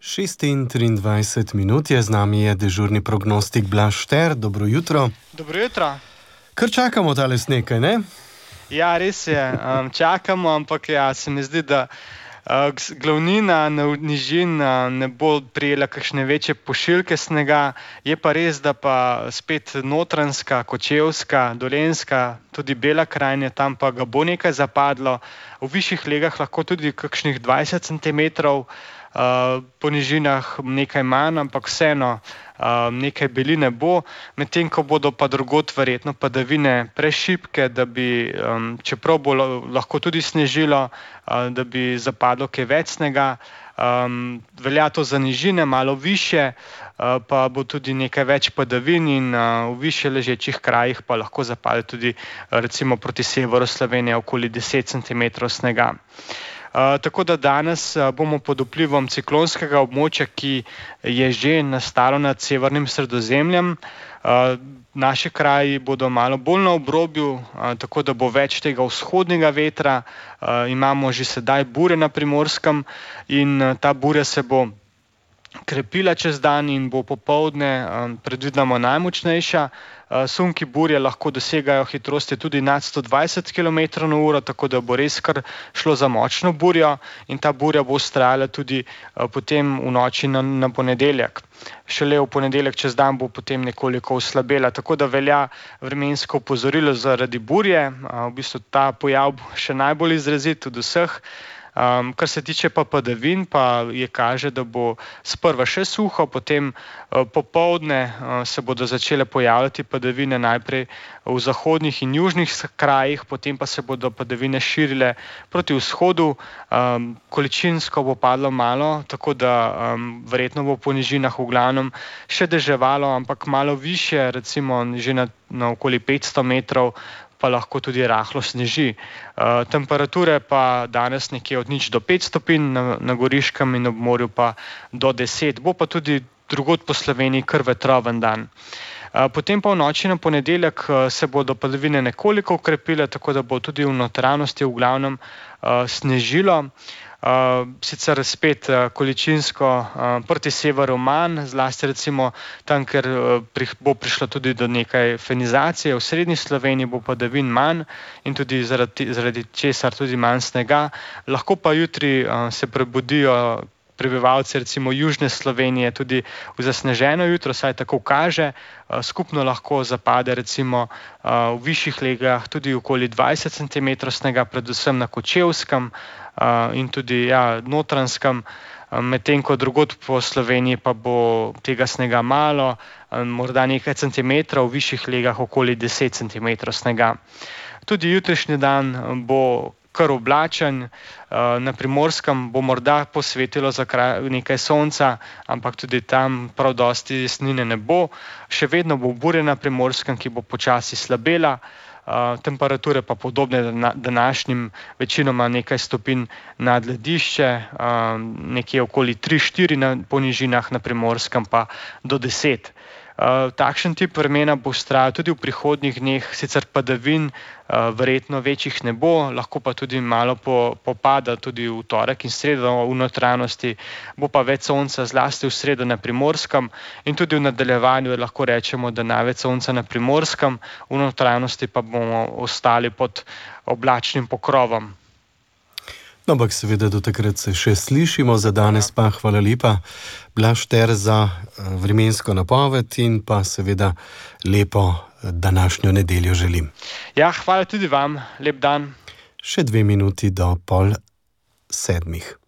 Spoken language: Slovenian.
6:23 je z nami dežurni prognostik Blaž Šter. Dobro jutro. Dobro jutro. Kar čakamo tale sneg, ne? Ja, res je. Čakamo, ampak ja, se mi zdi, da glavnina nižin ne bo prijela kakšne večje pošiljke snega. Je pa res, da pa spet Notranjska, Kočevska, Dolenjska, tudi Bela krajina, tam pa ga bo nekaj zapadlo. V višjih legah lahko tudi kakšnih 20 centimetrov, po nižinah nekaj manj, ampak vseeno nekaj beline bo, medtem ko bodo pa drugod verjetno padavine prešibke, da bi, čeprav bo lahko tudi snežilo, da bi zapadlo kaj več snega. Velja to za nižine, malo višje, pa bo tudi nekaj več padavin in v višje ležečih krajih pa lahko zapade tudi recimo proti severu Slovenije okoli 10 centimetrov snega. Tako da danes bomo pod vplivom ciklonskega območja, ki je že nastalo nad severnim Sredozemljem. Naši kraji bodo malo bolj na obrobju, tako da bo več tega vzhodnega vetra. Imamo že sedaj burje na Primorskem in ta burja se bo krepila čez dan in bo popoldne predvidoma najmočnejša. Sunki burje lahko dosegajo hitrosti tudi nad 120 km/h, tako da bo res kar šlo za močno burjo in ta burja bo vztrajala tudi potem v noči na ponedeljek. Šele v ponedeljek čez dan bo potem nekoliko oslabela, tako da velja vremensko opozorilo zaradi burje. V bistvu ta pojav bo še najbolj izrazit od vseh. Kar se tiče pa padavin, pa je kaže, da bo sprva še suho, potem popoldne se bodo začele pojavljati padavine najprej v zahodnih in južnih krajih, potem pa se bodo padavine širile proti vzhodu. Količinsko bo padlo malo, tako da verjetno bo po nižinah v glavnem še deževalo, ampak malo višje, recimo že na okoli 500 metrov, pa lahko tudi rahlo sneži. Temperature pa danes nekje od 0 do 5 stopinj na Goriškem in ob morju pa do 10. Bo pa tudi drugod po Sloveniji kar vetroven dan. Potem pa v noči na ponedeljek se bodo padavine nekoliko okrepile, tako da bo tudi v notranjosti v glavnem snežilo. Sicer spet količinsko proti severu manj, zlasti recimo tam, ker bo prišlo tudi do nekaj fenizacije. V srednji Sloveniji bo padavin manj in tudi zaradi česar tudi manj snega. Lahko pa jutri se prebudijo prebivalci recimo južne Slovenije tudi v zasneženo jutro, saj tako kaže. Skupno lahko zapade recimo v višjih legah tudi okoli 20 centimetrov snega, predvsem na Kočevskem in tudi Notranjskem, medtem ko drugod po Sloveniji pa bo tega snega malo, morda nekaj centimetrov, v višjih legah okoli 10 centimetrov snega. Tudi jutrišnji dan bo kar oblačen, na Primorskem bo morda posvetilo za nekaj sonca, ampak tudi tam prav dosti jasnine ne bo. Še vedno bo burja na Primorskem, ki bo počasi slabela, temperature pa podobne današnjim, večinoma nekaj stopinj nad ledišče, nekje okoli 3-4 po nižinah, na Primorskem pa do 10. Takšen tip vremena bo vztrajal tudi v prihodnjih dneh, sicer padavin verjetno večjih ne bo, lahko pa tudi malo popada tudi v torek in sredo v notranjosti, bo pa več sonca zlasti v sredo na Primorskem in tudi v nadaljevanju lahko rečemo, da največ sonca na Primorskem, v notranjosti pa bomo ostali pod oblačnim pokrovom. No, ampak seveda do takrat se še slišimo, za danes pa hvala lepa, Blaž Šter, za vremensko napoved in pa seveda lepo današnjo nedeljo želim. Ja, hvala tudi vam, lep dan. Še 2 minuti do 6:30.